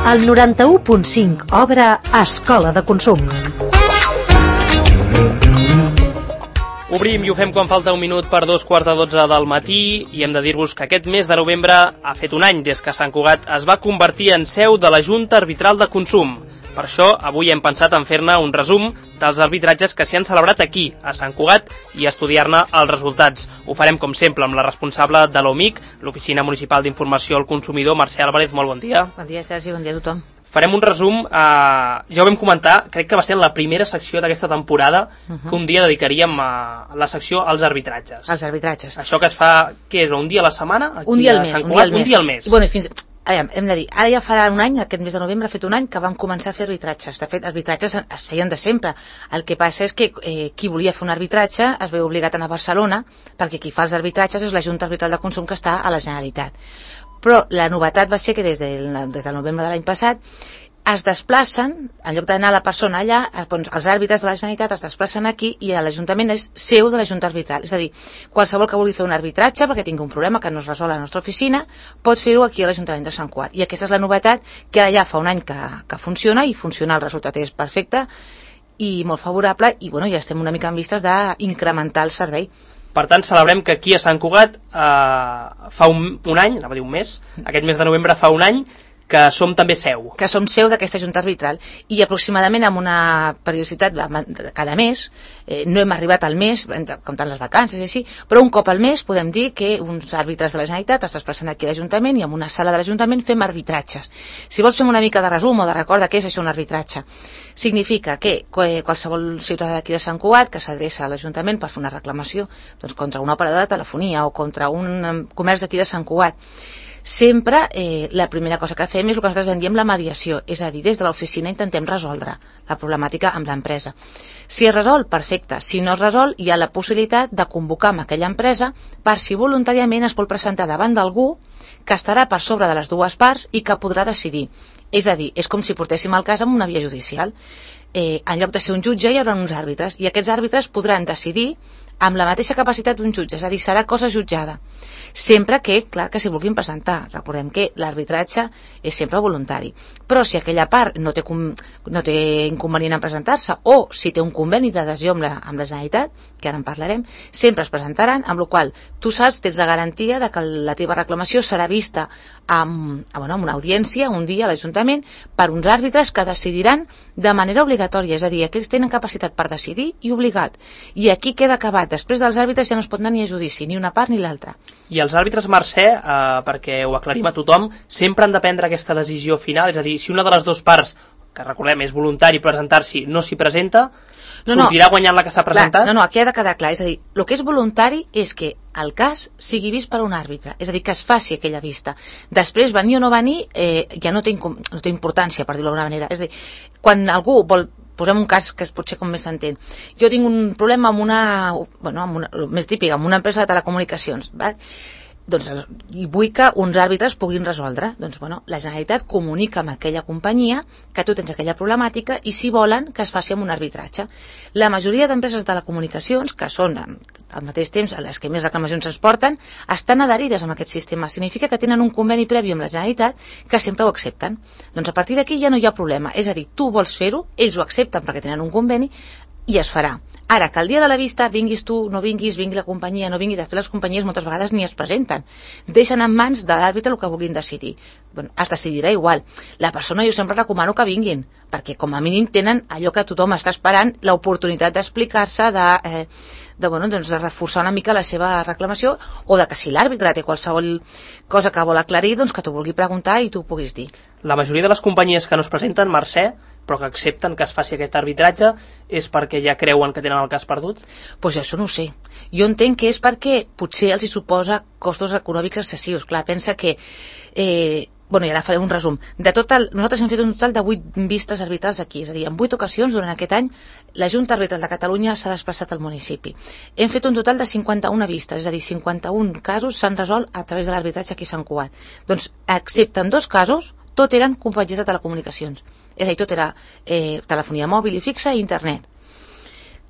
El 91.5 obre Escola de Consum. Obrim i ho fem quan falta un minut per 2:15 del matí i hem de dir-vos que aquest mes de novembre ha fet un any des que Sant Cugat es va convertir en seu de la Junta Arbitral de Consum. Per això, avui hem pensat en fer-ne un resum dels arbitratges que s'hi han celebrat aquí, a Sant Cugat, i estudiar-ne els resultats. Ho farem, com sempre, amb la responsable de l'OMIC, l'Oficina Municipal d'Informació al Consumidor, Mercè Álvarez. Molt bon dia. Bon dia, Sergi, bon dia a tothom. Farem un resum, ja ho vam comentar, crec que va ser la primera secció d'aquesta temporada que un dia dedicaríem a la secció als arbitratges. Els arbitratges. Això que es fa, què és, un dia a la setmana? Un dia al mes. Un dia al mes. Bueno, hem de dir, ara ja farà un any, aquest mes de novembre ha fet un any que vam començar a fer arbitratges. De fet, arbitratges es feien de sempre. El que passa és que qui volia fer un arbitratge es veu obligat a anar a Barcelona, perquè qui fa els arbitratges és la Junta Arbitral de Consum que està a la Generalitat. Però la novetat va ser que des del novembre de l'any passat es desplacen, en lloc d'anar la persona allà, els àrbitres de la Generalitat es desplacen aquí i l'Ajuntament és seu de la Junta Arbitral. És a dir, qualsevol que vulgui fer un arbitratge perquè tingui un problema que no es resol a la nostra oficina pot fer-ho aquí a l'Ajuntament de Sant Cugat. I aquesta és la novetat, que ara ja fa un any que funciona, i funciona, el resultat és perfecte i molt favorable, i bueno, ja estem una mica en vistes d'incrementar el servei. Per tant, celebrem que aquí a Sant Cugat fa un any, anava a dir un mes, aquest mes de novembre fa un any, que som també seu. Que som seu d'aquesta Junta Arbitral, i aproximadament amb una periodicitat cada mes, no hem arribat al mes, comptant les vacances i així, però un cop al mes podem dir que uns àrbitres de la Generalitat es desplacen aquí a l'Ajuntament i en una sala de l'Ajuntament fem arbitratges. Si vols fem una mica de resum o de record de què és això un arbitratge. Significa que qualsevol ciutadà d'aquí de Sant Cugat que s'adreça a l'Ajuntament per fer una reclamació contra una operadora de telefonia o contra un comerç d'aquí de Sant Cugat, sempre la primera cosa que fem és el que nosaltres en diem la mediació, és a dir, des de l'oficina intentem resoldre la problemàtica amb l'empresa. Si es resol, perfecte. Si no es resol, hi ha la possibilitat de convocar amb aquella empresa per si voluntàriament es vol presentar davant d'algú que estarà per sobre de les dues parts i que podrà decidir. És a dir, és com si portéssim el cas amb una via judicial. En lloc de ser un jutge hi haurà uns àrbitres, i aquests àrbitres podran decidir amb la mateixa capacitat d'un jutge, és a dir, serà cosa jutjada. Sempre que, clar, que s'hi vulguin presentar. Recordem que l'arbitratge és sempre voluntari. Però si aquella part no té inconvenient en presentar-se, o si té un conveni d'adhesió amb la Generalitat, que ara en parlarem, sempre es presentaran, amb la qual tu saps, tens la garantia de que la teva reclamació serà vista amb una audiència un dia a l'Ajuntament per uns àrbitres que decidiran de manera obligatòria, és a dir, aquells tenen capacitat per decidir i obligat. I aquí queda acabat. Després dels àrbitres ja no es pot anar ni a judici, ni una part ni l'altra. I els àrbitres, Mercè, perquè ho aclarim a tothom, sempre han de prendre aquesta decisió final, és a dir, si una de les dues parts, que recordem és voluntari presentar-s'hi, no s'hi presenta, sortirà guanyant la que s'ha presentat? No, aquí ha de quedar clar, és a dir, el que és voluntari és que el cas sigui vist per un àrbitre, és a dir, que es faci aquella vista. Després, venir o no venir, ja no té importància, per dir-ho d'alguna manera. És a dir, quan algú vol, posem un cas que potser com més s'entén, jo tinc un problema amb el més típic, amb una empresa de telecomunicacions, val? Doncs, i vull que uns àrbitres puguin resoldre. Doncs, la Generalitat comunica amb aquella companyia que tu tens aquella problemàtica i si volen que es faci amb un arbitratge. La majoria d'empreses de telecomunicacions, que són al mateix temps a les que més reclamacions es porten, estan adherides amb aquest sistema. Significa que tenen un conveni previ amb la Generalitat que sempre ho accepten. Doncs a partir d'aquí ja no hi ha problema. És a dir, tu vols fer-ho, ells ho accepten perquè tenen un conveni i es farà. Ara, que el dia de la vista vinguis tu, no vinguis, vingui la companyia, no vingui, de fet les companyies moltes vegades ni es presenten. Deixen en mans de l'àrbitre el que vulguin decidir. Es decidirà igual. La persona jo sempre recomano que vinguin, perquè com a mínim tenen allò que tothom està esperant, l'oportunitat d'explicar-se, de reforçar una mica la seva reclamació, o de que si l'àrbitre té qualsevol cosa que vol aclarir, doncs que t'ho vulgui preguntar i tu ho puguis dir. La majoria de les companyies que no es presenten, Mercè, però que accepten que es faci aquest arbitratge, és perquè ja creuen que tenen el cas perdut? Doncs això no ho sé. Jo entenc que és perquè potser els hi suposa costos econòmics excessius. Clar, pensa que... i ara farem un resum. Nosaltres hem fet un total de 8 vistes arbitrals aquí, és a dir, en 8 ocasions durant aquest any la Junta Arbitral de Catalunya s'ha desplaçat al municipi. Hem fet un total de 51 vistes, és a dir, 51 casos s'han resolt a través de l'arbitratge aquí a Sant Cugat. Doncs, excepte en 2 casos, tot eren companyies de telecomunicacions. És a dir, tot era telefonia mòbil i fixa i internet.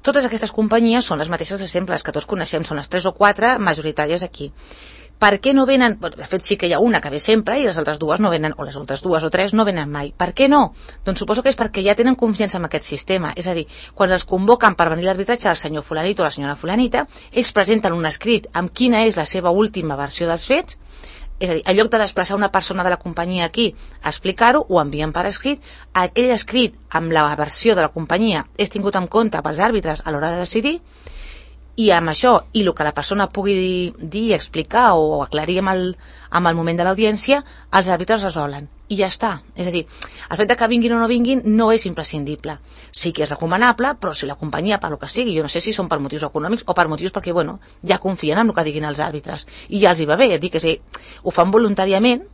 Totes aquestes companyies són les mateixes de sempre, les que tots coneixem, són les 3 o 4 majoritàries aquí. Per què no venen? De fet, sí que hi ha una que ve sempre i les altres dues no venen, o les altres 2 o 3 no venen mai. Per què no? Doncs suposo que és perquè ja tenen confiança en aquest sistema. És a dir, quan els convoquen per venir a l'arbitratge el senyor fulanito o la senyora fulanita, ells presenten un escrit amb quina és la seva última versió dels fets. És a dir, en lloc de desplaçar una persona de la companyia aquí a explicar-ho, ho envien per escrit. Aquell escrit amb la versió de la companyia és tingut en compte pels àrbitres a l'hora de decidir, i amb això, i el que la persona pugui dir, explicar o aclarir amb el moment de l'audiència, els àrbitres resolen. I ja està. És a dir, el fet que vinguin o no vinguin no és imprescindible. Sí que és recomanable, però si la companyia, per lo que sigui, jo no sé si són per motius econòmics o per motius perquè, bueno, ja confien en el que diguin els àrbitres. I ja els hi va bé, dir que sí, ho fan voluntàriament,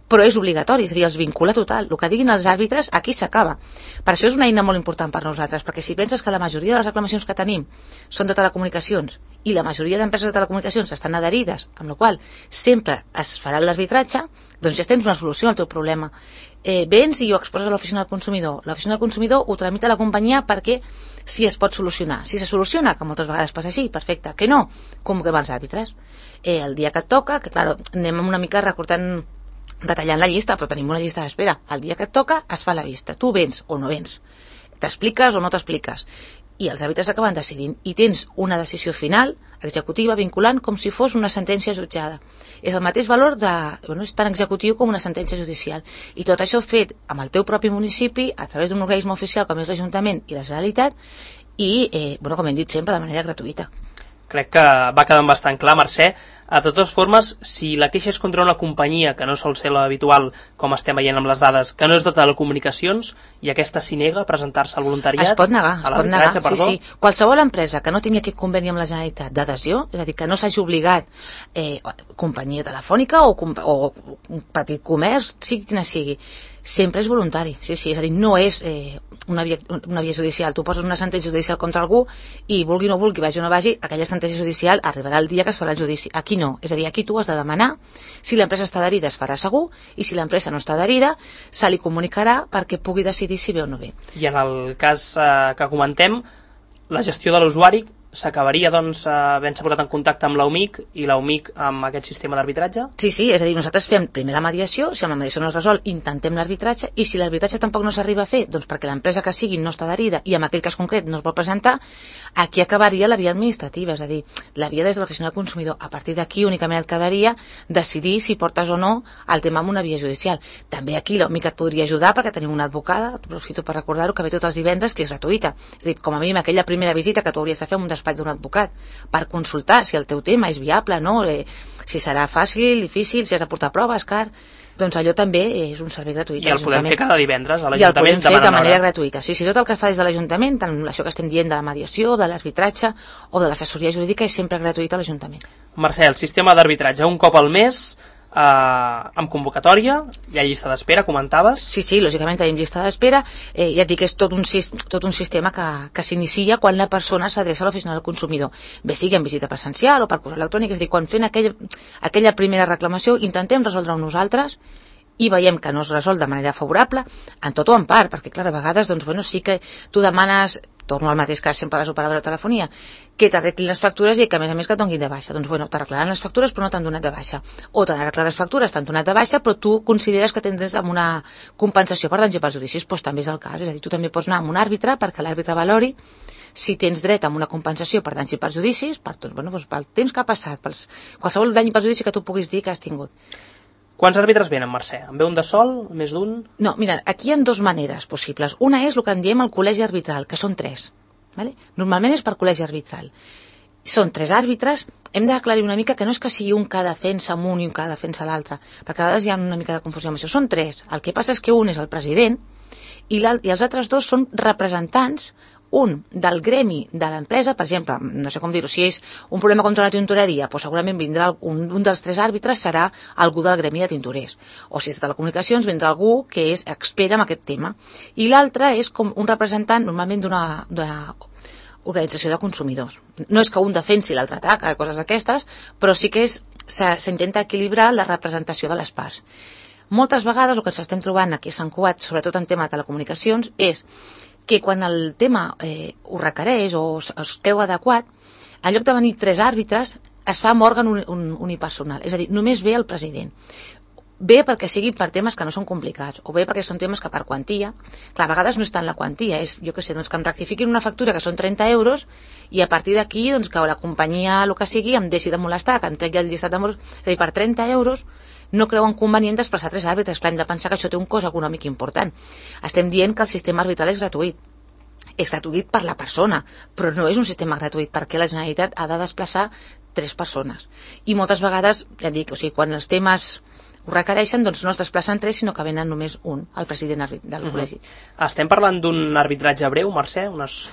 però és obligatori, és a dir, els vincula total. El que diguin els àrbitres, aquí s'acaba. Per això és una eina molt important per nosaltres, perquè si penses que la majoria de les reclamacions que tenim són de telecomunicacions i la majoria d'empreses de telecomunicacions estan adherides, amb la qual sempre es farà l'arbitratge, doncs ja tens una solució al teu problema. Vens i ho exposes a l'oficina del consumidor. L'oficina del consumidor ho tramita a la companyia perquè si es pot solucionar. Si se soluciona, que moltes vegades passa així, perfecte. Que no, convoquem els àrbitres. El dia que et toca, que clar, anem una mica detallant la llista, però tenim una llista d'espera. El dia que et toca es fa la vista. Tu vens o no vens. T'expliques o no t'expliques. I els àrbitres acaben decidint. I tens una decisió final, executiva, vinculant, com si fos una sentència jutjada. És el mateix valor és tan executiu com una sentència judicial. I tot això fet amb el teu propi municipi, a través d'un organisme oficial com és l'Ajuntament i la Generalitat, i, com hem dit sempre, de manera gratuïta. Crec que va quedant bastant clar, Mercè. De totes formes, si la queixa és contra una companyia, que no sol ser l'habitual, com estem veient amb les dades, que no és de telecomunicacions, i aquesta s'hi nega a presentar-se al voluntariat? Es pot negar, sí. Qualsevol empresa que no tingui aquest conveni amb la Generalitat d'adhesió, és a dir, que no s'hagi obligat companyia telefònica o un petit comerç, sigui quina sigui, sempre és voluntari, sí, és a dir, no és una via judicial. Tu poses una sentència judicial contra algú i vulgui o no vulgui, vagi o no vagi, aquella sentència judicial arribarà el dia que es farà el judici. Aquí no, és a dir, aquí tu has de demanar si l'empresa està adherida es farà segur, i si l'empresa no està adherida se li comunicarà perquè pugui decidir si ve o no ve. I en el cas que comentem, la gestió de l'usuari s'acabaria, doncs, havent-se posat en contacte amb l'UMIC i l'UMIC amb aquest sistema d'arbitratge? Sí, és a dir, nosaltres fem primer la mediació, si amb la mediació no es resol, intentem l'arbitratge, i si l'arbitratge tampoc no s'arriba a fer, doncs perquè l'empresa que sigui no està adherida i en aquell cas concret no es vol presentar, aquí acabaria la via administrativa, és a dir, la via des de l'oficina del consumidor. A partir d'aquí únicament et quedaria decidir si portes o no el tema amb una via judicial. També aquí l'UMIC et podria ajudar perquè tenim una advocada, aprofito per recordar-ho, que ve tots els divendres, que és gratuïta. És a dir, com a mínim aquella primera visita que tu hauries de fer amb un despatx d'un advocat per consultar si el teu tema és viable, no? Si serà fàcil, difícil, si has de portar proves, car... Doncs allò també és un servei gratuït. I el podem fer cada divendres a l'Ajuntament? I el podem fer de manera gratuïta. Sí, tot el que fa des de l'Ajuntament, tant això que estem dient de la mediació, de l'arbitratge o de l'assessoria jurídica, és sempre gratuït a l'Ajuntament. Mercè, el sistema d'arbitratge un cop al mes, amb convocatòria, hi ha llista d'espera, comentaves? Sí, lògicament tenim llista d'espera, ja et dic que és tot un sistema que s'inicia quan la persona s'adreça a l'oficina del consumidor, bé sigui en visita presencial o per correu electrònic, és a dir, quan fent aquella primera reclamació intentem resoldre-ho nosaltres i veiem que no es resol de manera favorable, en tot o en part, perquè clar, a vegades doncs, sí que tu demanes, torno al mateix cas sempre a les operadores de telefonia, que t'arreglin les factures i que a més et donin de baixa. Doncs t'arreglaran les factures però no t'han donat de baixa. O t'han arreglat les factures, t'han donat de baixa, però tu consideres que tindràs amb una compensació per danys i perjudicis. Doncs també és el cas. És a dir, tu també pots anar amb un àrbitre perquè l'àrbitre valori si tens dret a una compensació per danys i perjudicis, pel temps que ha passat, per qualsevol dany i perjudici que tu puguis dir que has tingut. Quants àrbitres venen, Mercè? En ve un de sol? Més d'un? No, mira, aquí hi ha dues maneres possibles. Una és el que en diem el col·legi arbitral, que són 3. Vale? Normalment és per col·legi arbitral. Són 3 àrbitres. Hem d'aclarir una mica que no és que sigui un que defensa amb un i un que defensa l'altre, perquè a vegades hi ha una mica de confusió amb això. Són 3. El que passa és que un és el president i els altres 2 són representants, un del gremi de l'empresa, per exemple, no sé com dir-ho, si és un problema contra la tintoreria, doncs segurament vindrà un dels 3 àrbitres serà algú del gremi de tintorers, o si és de telecomunicacions vindrà algú que és expert en aquest tema, i l'altre és com un representant normalment d'una organització de consumidors. No és que un defensi l'altre ataca, coses d'aquestes, però sí que s'intenta equilibrar la representació de les parts. Moltes vegades el que ens estem trobant aquí a Sant Cugat, sobretot en tema de telecomunicacions, és que quan el tema ho requereix o es creu adequat, en lloc de venir 3 àrbitres, es fa amb òrgan unipersonal, és a dir, només ve el president. Bé perquè sigui per temes que no són complicats, o bé perquè són temes que per quantia, clar, a vegades no és tant la quantia, és, jo què sé, doncs que em rectifiquin una factura que són 30 euros i a partir d'aquí, doncs que la companyia, el que sigui, em deixi de molestar, que em tregui el llistat d'euros, és a dir, per 30 euros no creuen convenient desplaçar 3 àrbitres, clar, hem de pensar que això té un cost econòmic important. Estem dient que el sistema arbitral és gratuït. És gratuït per la persona, però no és un sistema gratuït perquè la Generalitat ha de desplaçar 3 persones. I moltes vegades, ja dic, o sigui, quan els temes ho requereixen, doncs no es desplacen 3, sinó que venen només un, el president del col·legi. Estem parlant d'un arbitratge breu, Mercè?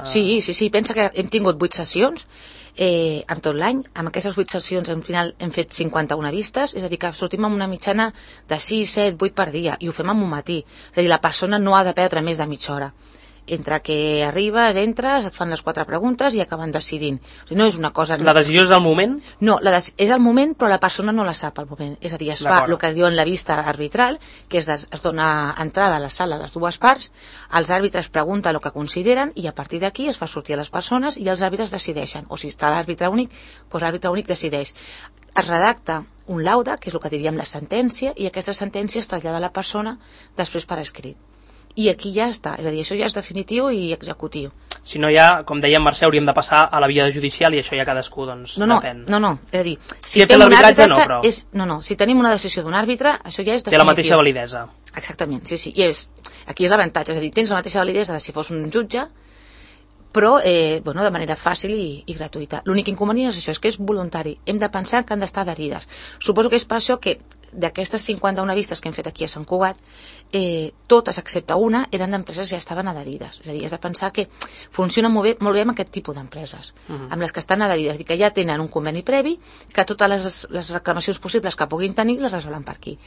Sí, pensa que hem tingut 8 sessions en tot l'any. Amb aquestes 8 sessions al final hem fet 51 vistes, és a dir, que sortim amb una mitjana de 6, 7, 8 per dia, i ho fem en un matí. És a dir, la persona no ha de perdre més de mitja hora. Entre que arribes, entres, et fan les 4 preguntes i acaben decidint. O sigui, no és una cosa... La decisió és al moment? No, és al moment, però la persona no la sap al moment. És a dir, es fa el que es diu en la vista arbitral, que es dona entrada a la sala a les 2 parts, els àrbitres pregunten el que consideren i a partir d'aquí es fa sortir a les persones i els àrbitres decideixen. O si està l'àrbitre únic, doncs l'àrbitre únic decideix. Es redacta un laude, que és el que diríem la sentència, i aquesta sentència es trasllada a la persona després per escrit. I aquí ja està, és a dir, això ja és definitiu i executiu. Si no ja, com deia Mercè, hauríem de passar a la via judicial i això ja cadascú, doncs, depèn. No, és a dir, si fem l'arbitratge no, però... si tenim una decisió d'un àrbitre, això ja és definitiu. Té la mateixa validesa. Exactament, sí. I aquí és l'avantatge, és a dir, tens la mateixa validesa de si fos un jutge, però de manera fàcil i gratuïta. L'únic inconvenient és això, és que és voluntari. Hem de pensar que han d'estar adherides. Suposo que és per això que d'aquestes 51 vistes que hem fet aquí a Sant Cugat, totes excepte una eren d'empreses que ja estaven adherides. És a dir, has de pensar que funciona molt bé amb aquest tipus d'empreses, amb les que estan adherides, que ja tenen un conveni previ, que totes les reclamacions possibles que puguin tenir les resolen per aquí.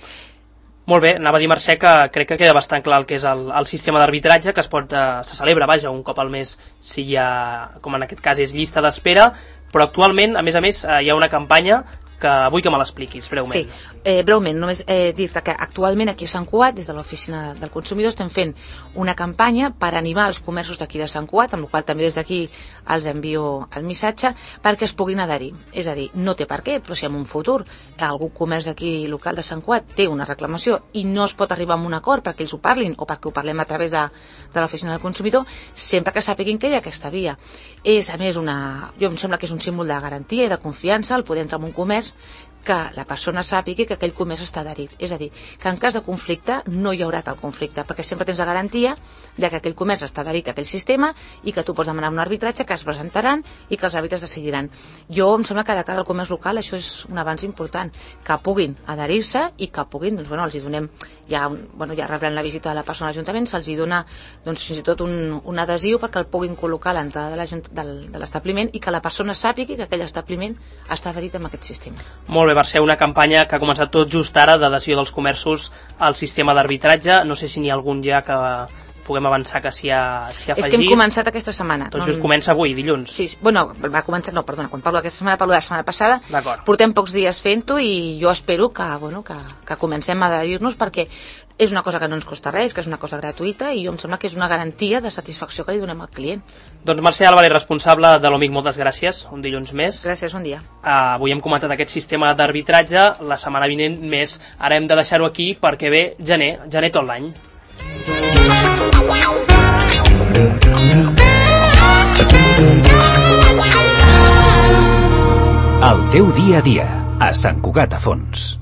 Molt bé, anava a dir, Mercè, que crec que queda bastant clar el que és el sistema d'arbitratge, que se celebra, vaja, un cop al mes, si hi ha, com en aquest cas és llista d'espera, però actualment, a més, hi ha una campanya que vull que me l'expliquis breument. Sí, breument, només dir-te que actualment aquí a Sant Cugat, des de l'Oficina del Consumidor, estem fent una campanya per animar els comerços d'aquí de Sant Cugat, amb la qual també des d'aquí els envio el missatge, perquè es puguin adherir. És a dir, no té per què, però si en un futur algun comerç d'aquí local de Sant Cugat té una reclamació i no es pot arribar a un acord perquè ells ho parlin o perquè ho parlem a través de l'Oficina del Consumidor, sempre que sàpiguin que hi ha aquesta via. És, a més, jo em sembla que és un símbol de garantia i de confiança el poder entrar en un comerç que la persona sàpiga que aquell comerç està adherit. És a dir, que en cas de conflicte no hi haurà tal conflicte, perquè sempre tens la garantia de que aquell comerç està adherit a aquell sistema i que tu pots demanar un arbitratge que es presentaran i que els àrbitres decidiran. Jo em sembla que de cara al comerç local això és un avanç important, que puguin adherir-se i que puguin, doncs, els hi donem, ja rebran la visita de la persona a l'Ajuntament, se'ls hi dona fins i tot un adhesiu perquè el puguin col·locar a l'entrada de l'establiment i que la persona sàpiga que aquell establiment està adherit amb aquest sistema. Molt bé, Mercè, una campanya que ha començat tot just ara d'adhesió dels comerços al sistema d'arbitratge. No sé si n'hi ha algun ja que puguem avançar que s'hi ha afegit. És que hem començat aquesta setmana. Tot just comença avui, dilluns. Sí, va començar, quan parlo d'aquesta setmana parlo de la setmana passada. D'acord. Portem pocs dies fent-ho i jo espero que comencem a adherir-nos perquè és una cosa que no ens costa res, que és una cosa gratuïta i jo em sembla que és una garantia de satisfacció que li donem al client. Doncs Mercè Álvarez, responsable de l'OMIC, moltes gràcies, un dilluns més. Gràcies, bon dia. Avui hem comentat aquest sistema d'arbitratge, la setmana vinent més. Ara hem de deixar-ho aquí perquè ve gener tot l'any. El teu dia a dia, a Sant Cugat a Fons.